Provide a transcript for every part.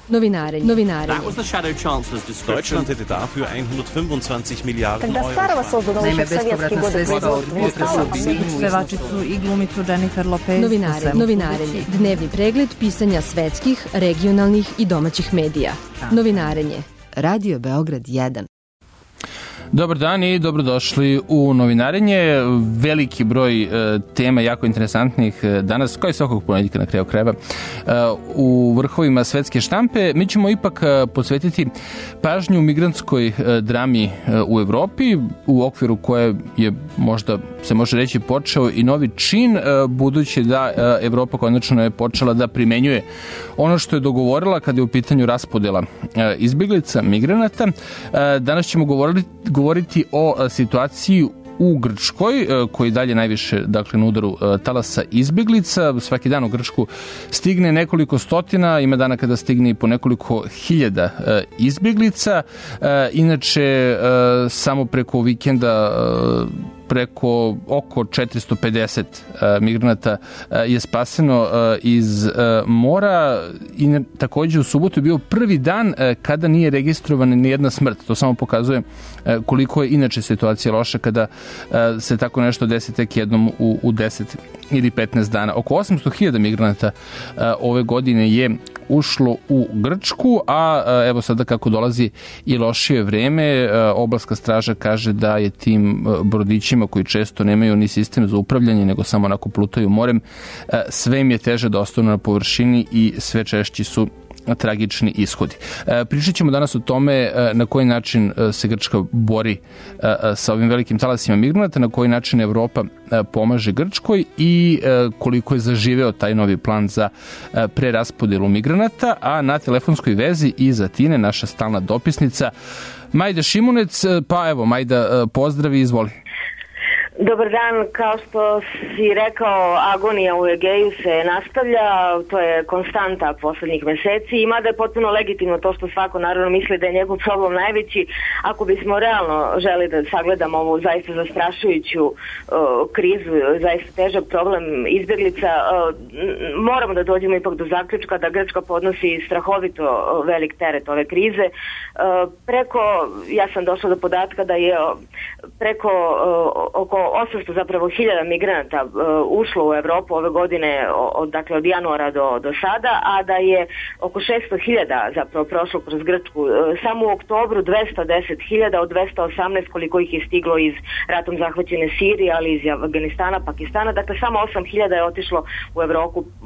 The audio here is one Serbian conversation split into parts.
Novinarenje. Deutschland hätte dafür 125 Milijarden Euro. Naime, bespovratna sredstva od pevačicu i glumicu Jennifer Lopez. Novinarenje. Dnevni pregled pisanja svetskih, regionalnih i domaćih medija. Novinarenje. Radio Beograd 1. Dobar dan i dobrodošli u Novinarenje. Veliki broj tema jako interesantnih danas, kao i svakog ponedjeljka na kraju krajeva, u vrhovima svetske štampe. Mi ćemo ipak posvetiti pažnju migrantskoj drami u Evropi, u okviru koje je možda se može reći počeo i novi čin, budući da Evropa konačno je počela da primenjuje ono što je dogovorila kada je u pitanju raspodela izbjeglica, migranata. Danas ćemo govoriti o situaciji u Grčkoj, koji dalje najviše na udaru talasa izbjeglica. Svaki dan u Grčku stigne nekoliko stotina, ima dana kada stigne i po nekoliko hiljada izbjeglica. Inače, samo preko vikenda preko oko 450 migranata je spaseno iz mora i također u subotu je bio prvi dan kada nije registrovana ni jedna smrt. To samo pokazuje koliko je inače situacija loša kada se tako nešto desi tek jednom u 10 ili 15 dana. Oko 800.000 migranata ove godine je ušlo u Grčku, a evo sada kako dolazi i lošije vreme, obalska straža kaže da je tim brodićima koji često nemaju ni sistem za upravljanje, nego samo onako plutaju morem, sve im je teže da ostanu na površini i sve češći su tragični ishodi. Pričat ćemo danas o tome na koji način se Grčka bori sa ovim velikim talasima migranata, na koji način Evropa pomaže Grčkoj i koliko je zaživeo taj novi plan za preraspodelu migranata, a na telefonskoj vezi iz Atine naša stalna dopisnica Majda Šimunec. Pa evo, Majda, pozdravi, izvoli. Dobar dan, kao što si rekao, agonija u Egeju se nastavlja, to je konstanta poslednjih meseci i mada je potpuno legitimno to što svako naravno misli da je njegov problem najveći, ako bismo realno želi da sagledamo ovu zaista zastrašujuću krizu, zaista težak problem izbjeglica, moramo da dođemo ipak do zaključka da Grčka podnosi strahovito velik teret ove krize. Ja sam došla do podatka da je preko oko 800 zapravo hiljada migranata ušlo u Evropu ove godine, od januara do sada, a da je oko 600.000 zapravo prošlo kroz Grčku. Samo u oktobru 210.000 od 218 koliko ih je stiglo iz ratom zahvaćene Sirije, ali iz Afganistana, Pakistana. Dakle, samo 8.000 je otišlo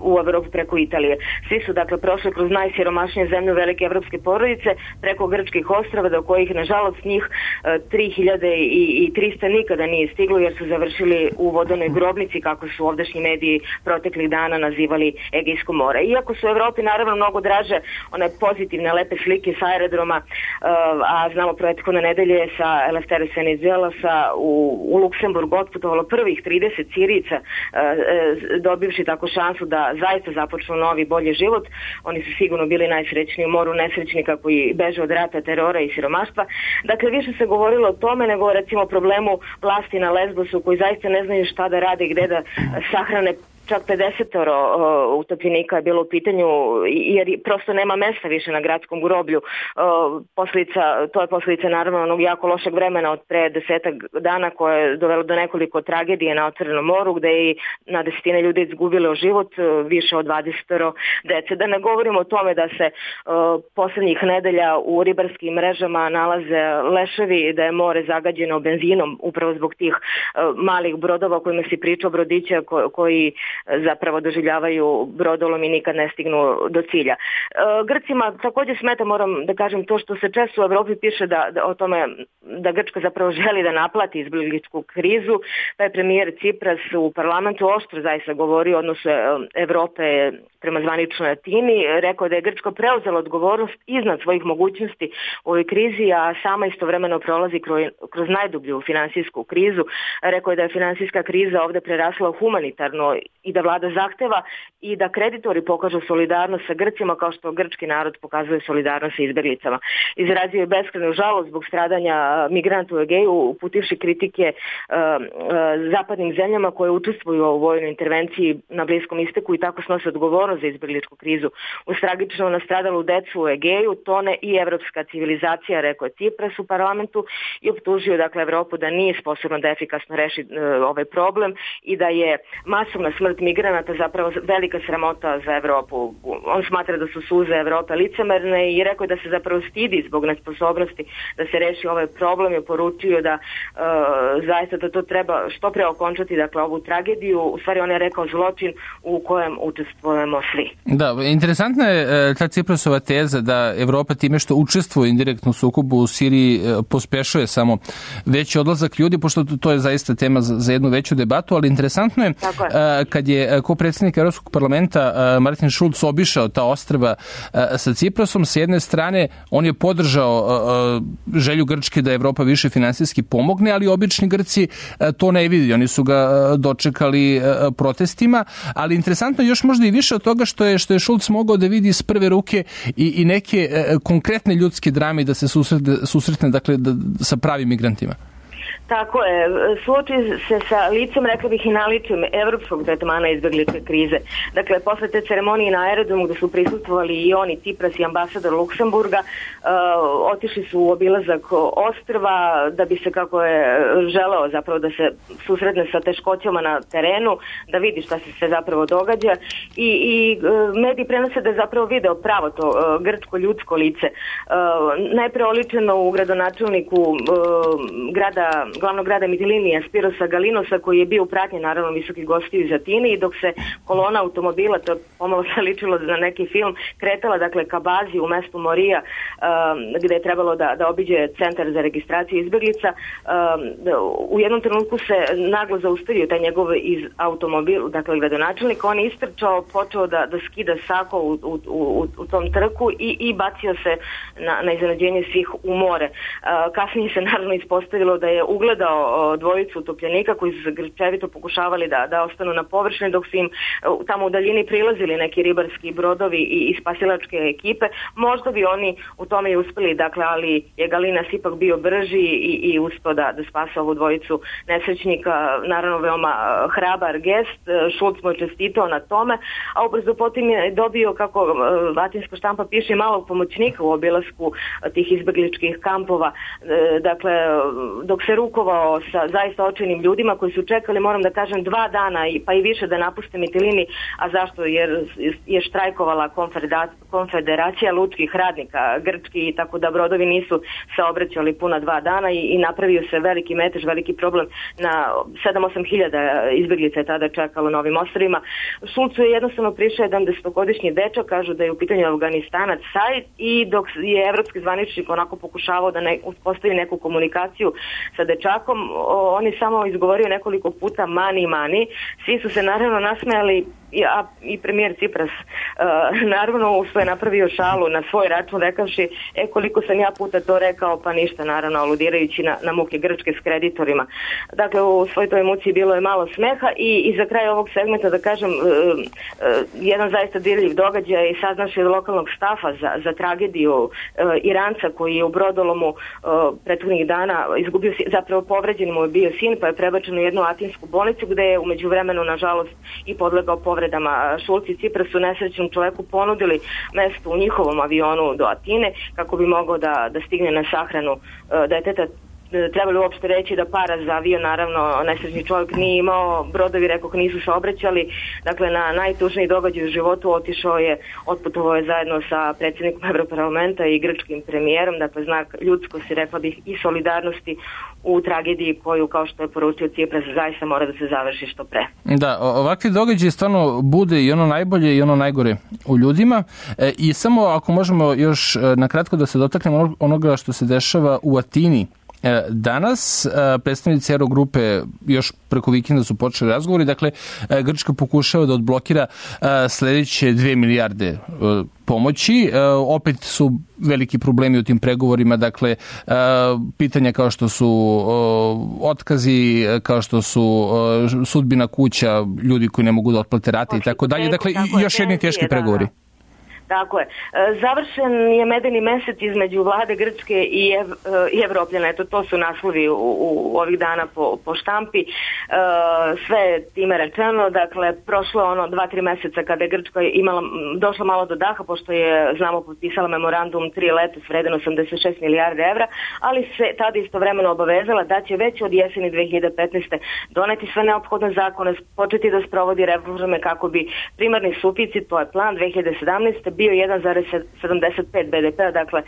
u Evropu preko Italije. Svi su prošli kroz najsiromašnije zemlje velike evropske porodice, preko grčkih ostrava, do kojih nažalost njih 3.300 nikada nije stiglo, jer su završili u vodenoj grobnici, kako su ovdašnji mediji proteklih dana nazivali Egejsko more. Iako su u Evropi naravno mnogo draže one pozitivne, lepe slike sa aerodroma, a znamo prethodne nedelje sa Eleftheris Venizelosa u Luksemburg otputovalo prvih 30 Sirijica, dobivši tako šansu da zaista započnu novi, bolji život. Oni su sigurno bili najsrećniji u moru nesrećnika koji beže od rata, terora i siromaštva. Dakle, više se govorilo o tome nego recimo o problemu vlasti na Lesbosu, koji zaista ne znaju šta da rade i gde da sahrane. Čak 50 utopljenika je bilo u pitanju, jer prosto nema mesta više na gradskom groblju. To je posljedica naravno onog jako lošeg vremena od pre 10 dana koje je dovelo do nekoliko tragedije na otvorenom moru, gde je na desetine ljudi izgubilo život, više od 20 dece. Da ne govorimo o tome da se poslednjih nedelja u ribarskim mrežama nalaze leševi, da je more zagađeno benzinom upravo zbog tih malih brodova o kojima si pričao, brodića koji zapravo doživljavaju brodolom i nikad ne stignu do cilja. Grcima također smeta, moram da kažem, to što se često u Evropi piše o tome da Grčka zapravo želi da naplati izbjegličku krizu, pa je premijer Cipras u parlamentu oštro zaista govorio o odnosu Evrope prema zvaničnoj Atini, rekao da je Grčka preuzela odgovornost iznad svojih mogućnosti u ovoj krizi, a sama istovremeno prolazi kroz najdublju finansijsku krizu. Rekao je da je finansijska kriza ovdje prerasla u humanitarno i da vlada zahteva i da kreditori pokažu solidarnost sa Grcima kao što grčki narod pokazuje solidarnost sa izbeglicama. Izrazio je beskrajnu žalost zbog stradanja migranata u Egeju, uputivši kritike zapadnim zemljama koje učestvuju u vojnoj intervenciji na Bliskom istoku i tako snose odgovornost za izbegličku krizu. Uz tragično nastradalu decu u Egeju tone i evropska civilizacija, rekao je Cipras u parlamentu i optužio dakle Evropu da nije sposobna da efikasno reši ovaj problem i da je masovna smrt migranata zapravo velika sramota za Evropu. On smatra da su suze Evrope licemerne i rekao je da se zapravo stidi zbog nesposobnosti da se reši ovaj problem i poručio da zaista da to treba što pre okončati, dakle ovu tragediju. U stvari on je rekao zločin u kojem učestvujemo svi. Da, interesantna je ta Ciprasova teza da Evropa time što učestvuje indirektno u sukobu u Siriji pospešuje samo veći odlazak ljudi, pošto to je zaista tema za jednu veću debatu, ali interesantno je kad je ko predsjednik Evropskog parlamenta Martin Schulz obišao ta ostrva sa Ciprasom, s jedne strane on je podržao želju Grčke da Evropa više finansijski pomogne, ali obični Grci to ne vidi, oni su ga dočekali protestima, ali interesantno još možda i više od toga što je Schulz mogao da vidi iz prve ruke i neke konkretne ljudske drame da se susretne dakle, sa pravim migrantima. Tako je, suoči se sa licem, rekla bih i naličjem evropskog tretmana izbegličke krize. Dakle, posle te ceremonije na aerodromu gde su prisustvovali i oni, Cipras i ambasador Luksemburga, otišli su u obilazak ostrva da bi se, kako je želeo zapravo da se susretne sa teškoćama na terenu, da vidi šta se sve zapravo događa i mediji prenose da je zapravo video pravo to grčko ljudsko lice. Najpre oličeno u gradonačelniku glavnog grada Mitilinija Spirosa Galinosa, koji je bio u pratnji naravno visokih gostiju iz Atine, i dok se kolona automobila, to je pomalo se ličilo na neki film, kretala dakle ka bazi u mestu Morija gde je trebalo da obiđe centar za registraciju izbeglica, u jednom trenutku se naglo zaustavio taj njegov iz automobil, dakle gradonačelnik, on je istrčao, počeo da skida sako u tom trku i bacio se na iznenađenje svih u more. Kasnije se naravno ispostavilo da je ugledao dvojicu utopljenika koji su grčevito pokušavali da ostanu na površini dok su im tamo u daljini prilazili neki ribarski brodovi i spasilačke ekipe. Možda bi oni u tome i uspeli, dakle, ali je Galinas ipak bio brži i uspeo da spase ovu dvojicu nesrećnika. Naravno, veoma hrabar gest. Schulz mu je čestitao na tome, a ubrzo potom je dobio, kako latinska štampa piše, malog pomoćnika u obilasku tih izbegličkih kampova. Dakle, dok se rukovao sa zaista očajnim ljudima koji su čekali, moram da kažem, 2 dana pa i više da napuste Mitilini. A zašto? Jer je štrajkovala konfederacija lučkih radnika grčki, tako da brodovi nisu saobraćali puna 2 dana i napravio se veliki metež, veliki problem. Na 7-8 hiljada izbeglica je tada čekalo na ovim ostrvima. Schulzu je jednostavno prišao jedan 10-godišnji dečak, kažu da je u pitanju Afganistanac Said, i dok je evropski zvaničnik onako pokušavao da uspostavi neku komunikaciju sa dečakom, on je samo izgovorio nekoliko puta mani. Svi su se naravno nasmejali, i premijer Cipras naravno što je napravio šalu na svoj račun rekavši koliko sam ja puta to rekao, pa ništa, naravno aludirajući na muke Grčke s kreditorima. Dakle, u svoj toj emociji bilo je malo smeha i za kraj ovog segmenta da kažem jedan zaista dirljiv događaj i saznaš od lokalnog stafa za tragediju Iranca koji je u brodolomu prethodnih dana izgubio, zapravo povređen mu je bio sin, pa je prebačen u jednu atinsku bolnicu gde je u međuvremenu nažalost i podlegao povredama. Schulz i Cipras su nesrećnom čoveku ponudili mesto u njihovom avionu do Atine kako bi mogao da stigne na sahranu deteta. Trebali uopšte reći da para za avion, naravno, nesrećni čovjek nije imao, brodovi, rekoh, nisu saobraćali. Dakle, na najtužniji događaj u životu otputovao je zajedno sa predsjednikom Evroparlamenta i grčkim premijerom, dakle, znak ljudskosti, rekla bih, i solidarnosti u tragediji koju, kao što je poručio Cipras, zaista mora da se završi što pre. Da, ovakvi događaji stvarno bude i ono najbolje i ono najgore u ljudima. I samo ako možemo još nakratko da se dotaknemo onoga što se dešava u Atini Danas predstavnici Eurogrupe još preko vikenda su počeli razgovori, dakle Grčka pokušava da odblokira sledeće 2 milijarde pomoći. Opet su veliki problemi u tim pregovorima, dakle pitanja kao što su otkazi, kao što su sudbina kuća, ljudi koji ne mogu da otplate rate i tako dalje. Dakle, još jedni teški pregovori. Tako je. Završen je medeni mesec između vlade Grčke i Evropljana. Eto, to su naslovi u ovih dana po štampi. Sve time rečeno, dakle, prošlo 2-3 meseca kada je Grčka došla malo do daha, pošto je, znamo, potpisala memorandum 3 leta s vreden 86 milijarde evra, ali se tada istovremeno obavezala da će već od jeseni 2015. doneti sve neophodne zakone, početi da sprovodi reforme kako bi primarni suficit, to je plan 2017. bio 1,75 BDP-a, dakle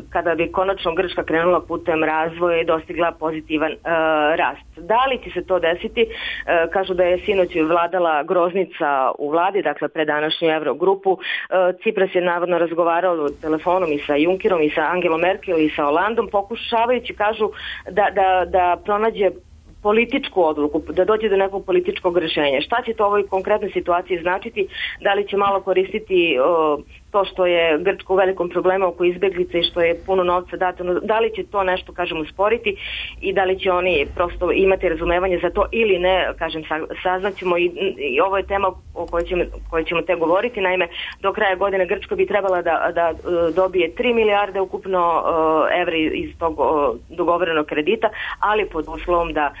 kada bi konačno Grčka krenula putem razvoja i dostigla pozitivan rast. Da li će se to desiti? Kažu da je sinoć vladala groznica u vladi, dakle pre današnju Eurogrupu. Cipras je navodno razgovarao telefonom i sa Junckerom i sa Angelom Merkel i sa Hollandom, pokušavajući, kažu, da pronađe političku odluku, da dođe do nekog političkog rešenja. Šta će to u ovoj konkretnoj situaciji značiti? Da li će malo koristiti to što je Grčka u velikom problemu oko izbeglice i što je puno novca dato, da li će to nešto, kažem, usporiti i da li će oni prosto imati razumevanje za to ili ne, kažem, saznaćemo i ovo je tema o kojoj ćemo te govoriti. Naime, do kraja godine Grčka bi trebala da dobije 3 milijarde ukupno evra iz tog dogovorenog kredita, ali pod uslovom da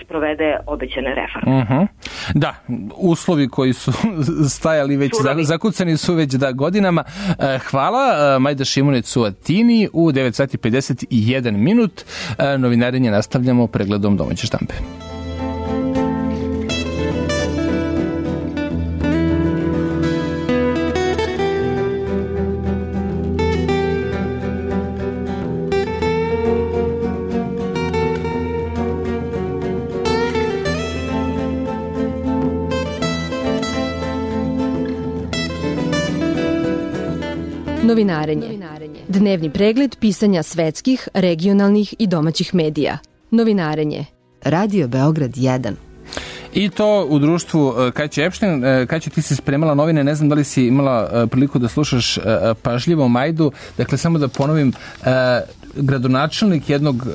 sprovede obećane reforme. Da, uslovi koji su stajali već, zakucani su već godinama. Hvala. Majda Šimunic u Atini u 9:51. Novinarenje nastavljamo pregledom domaće štampe. Novinarenje. Dnevni pregled pisanja svetskih, regionalnih i domaćih medija. Novinarenje. Radio Beograd 1. I to u društvu Kaće Epšten. Kaće, ti si spremala novine, ne znam da li si imala priliku da slušaš pažljivo Majdu. Dakle, samo da ponovim, gradonačelnik jednog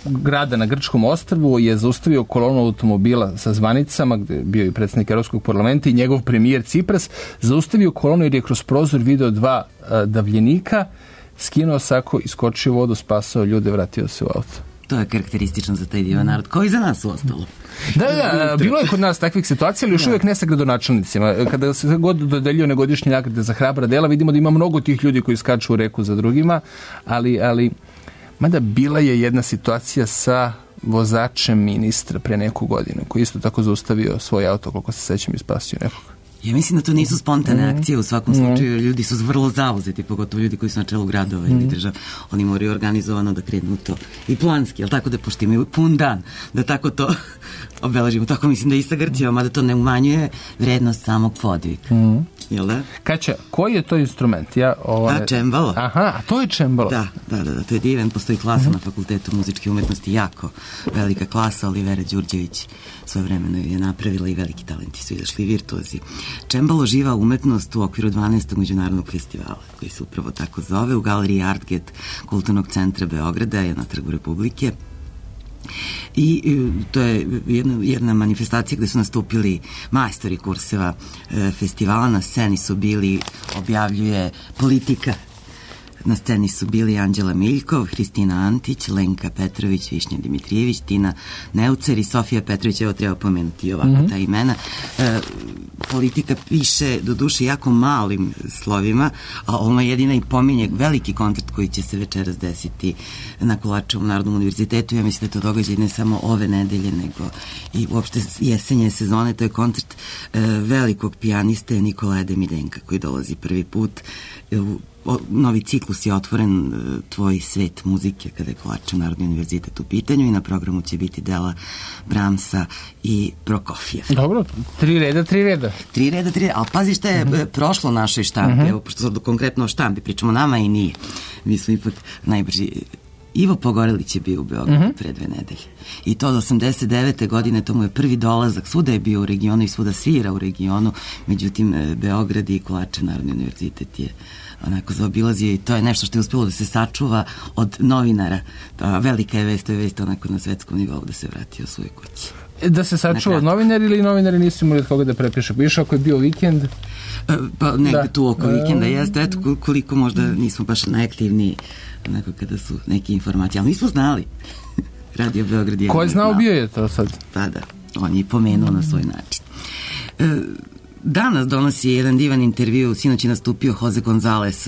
grada na grčkom ostrvu je zaustavio kolonu automobila sa zvanicama, gde je bio i predsjednik Evropskog parlamenta i njegov premijer Cipras, zaustavio kolonu jer je kroz prozor video 2 davljenika, skinuo sako, iskočio u vodu, spasao ljude, vratio se u auto. To je karakteristično za taj divan narod, koji za nas u ostalo. Da, bilo je kod nas takvih situacija, ali još uvijek ne sa gradonačelnicima. Kada se god dodeljuje godišnje nagrade za hrabra dela, vidimo da ima mnogo tih ljudi koji skaču u reku za drugima, ali mada bila je jedna situacija sa vozačem ministra pre neku godinu, koji isto tako zaustavio svoj auto, koliko se sećam, i spasio nekog. Ja mislim da to nisu spontane akcije, u svakom slučaju ljudi su vrlo zauzeti, pogotovo ljudi koji su na čelu gradova ili država. Oni moraju organizovano da krenu to i planski, ali tako da pošto imaju pun dan, da tako to obeležimo. Tako mislim da i sa Grcijom, mada to ne umanjuje vrednost samog podviga. Jel da? Kaća, koji je to instrument? Čembalo. Aha, a to je čembalo. Da, to je divan, postoji klasa na Fakultetu muzičke umetnosti, jako velika klasa, Olivera Đurđević svojevremeno je napravila i veliki talenti su izašli, virtuozi. Čembalo živa umetnost u okviru 12. međunarodnog festivala, koji se upravo tako zove, u galeriji Artget Kulturnog centra Beograda, je na Trgu Republike. I to je jedna manifestacija gde su nastupili majstori kurseva festivala. Na sceni su bili, objavljuje Politika, na sceni su bili Anđela Miljkov, Hristina Antić, Lenka Petrović, Višnja Dimitrijević, Tina Neucer i Sofija Petrović. Evo, treba pomenuti ovako ta imena. Politika piše, do duše, jako malim slovima, a ono jedina i pominje veliki koncert koji će se večeras desiti na Kolarčevom Narodnom univerzitetu. Ja mislim da je to događaj ne samo ove nedelje, nego i uopšte jesenje sezone. To je koncert velikog pijaniste Nikolaja Demidenka, koji dolazi prvi put. Novi ciklus je otvoren, Tvoj svet muzike, kada je Kolarčev Narodni univerzitet u pitanju, i na programu će biti dela Bramsa i Prokofjev. Dobro, 3 reda. 3 reda, ali pazi šta je prošlo našoj štampi, evo, pošto sad konkretno o štampi pričamo, nama i nije. Mi smo ipak najbrži Ivo Pogorelić je bio u Beogradu pre 2 nedelje. I to do 89. godine, to mu je prvi dolazak, svuda je bio u regionu i svuda svira u regionu, međutim Beograd i Kovačev Narodni univerzitet je onako zaobilazio i to je nešto što je uspelo da se sačuva od novinara. Velika je vest, to je vest onako na svetskom nivou da se vratio u svoje kući. Da se sačuva od novinari ili novinari nisu imali od koga da prepiše? Više ako je bio vikend? Pa negde tu oko vikenda jeste, eto koliko možda nismo baš najaktivniji onako kada su neke informacije, ali nismo znali. Radio Beograd je... Ko je znao bio je to sad? Pa da, on je pomenuo na svoj način. Danas donosi jedan divan intervju, sinoć je nastupio Jose Gonzalez,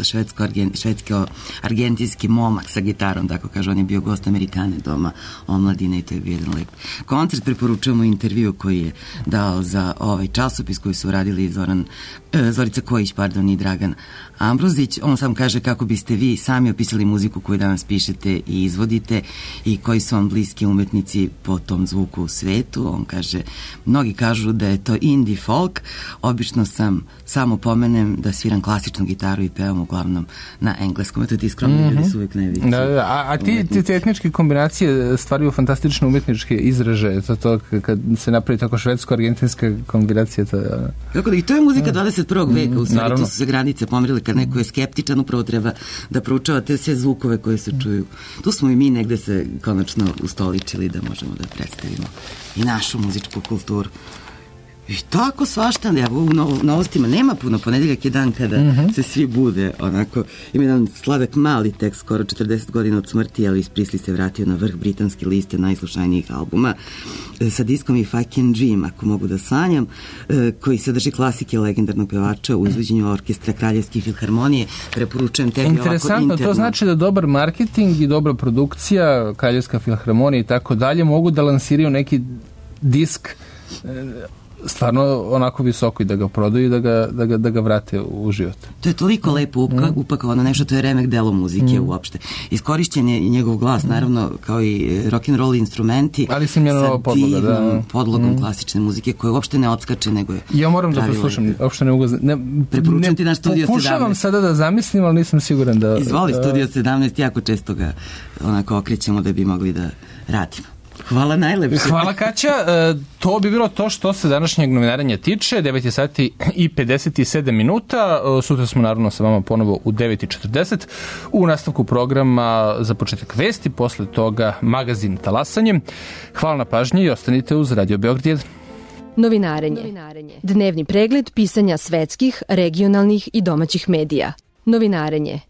švedsko-argentinski momak sa gitarom, tako kaže, on je bio gost Amerikane doma omladine i to je bio jedan lep koncert. Preporučujemo intervju koji je dao za ovaj časopis koji su radili Zorica Kojić, i Dragan Ambrozić. On sam kaže kako biste vi sami opisali muziku koju danas pišete i izvodite i koji su vam bliski umetnici po tom zvuku u svetu. On kaže, mnogi kažu da je to indie folk, obično sam samo pomenem da sviram klasičnu gitaru i pevam uglavnom na engleskom. Eto ti skromni ljudi su uvijek najveći. A ti etničke kombinacije stvaraju fantastične umetničke izražaje, to kad se napravi tako švedsko-argentinska kombinacija. Kako da, i to je muzika 21. veka, u stvari tu su se granice pomerile, kad neko je skeptičan, upravo treba da proučava te sve zvukove koje se čuju. Tu smo i mi negde se konačno ustoličili da možemo da predstavimo i našu muzičku kulturu. I tako svašta, u novostima nema puno, ponedeljak je dan kada se svi bude, onako, ima jedan sladak mali tekst, skoro 40 godina od smrti, Elvis Presley se vratio na vrh britanske liste najslušanijih albuma sa diskom i Fucking Dream, ako mogu da sanjam, koji sadrži klasike legendarnog pevača u izvođenju orkestra Kraljevske filharmonije. Preporučujem tebi ovako interno. Interesantno, to znači da dobar marketing i dobra produkcija, Kraljevska filharmonija i tako dalje mogu da lansiraju neki disk stvarno onako visoko i da ga prodaju i da ga vrate u život. To je toliko lepo upakovano nešto, to je remek delo muzike uopšte. Iskorišćen je njegov glas, naravno, kao i rock'n'roll instrumenti, ali sam je nova podloga, da. Podlogom klasične muzike koja uopšte ne odskače, nego je... Ja moram da poslušam, uopšte ne ugazam. Preporučujem ti na Studio 17. Pokušavam sada da zamislim, ali nisam siguran da... Izvoli Studio 17, jako često ga onako okrećemo da bi mogli da radimo. Hvala najlepše. Hvala Kaća. To bi bilo to što se današnjeg novinarenja tiče. 9 sati i 57 minuta. Sutra smo naravno sa vama ponovo u 9:40. U nastavku programa za početak vesti, posle toga magazin Talasanje. Hvala na pažnji i ostanite uz Radio Beograd 1. Novinarenje. Dnevni pregled pisanja svetskih, regionalnih i domaćih medija. Novinarenje.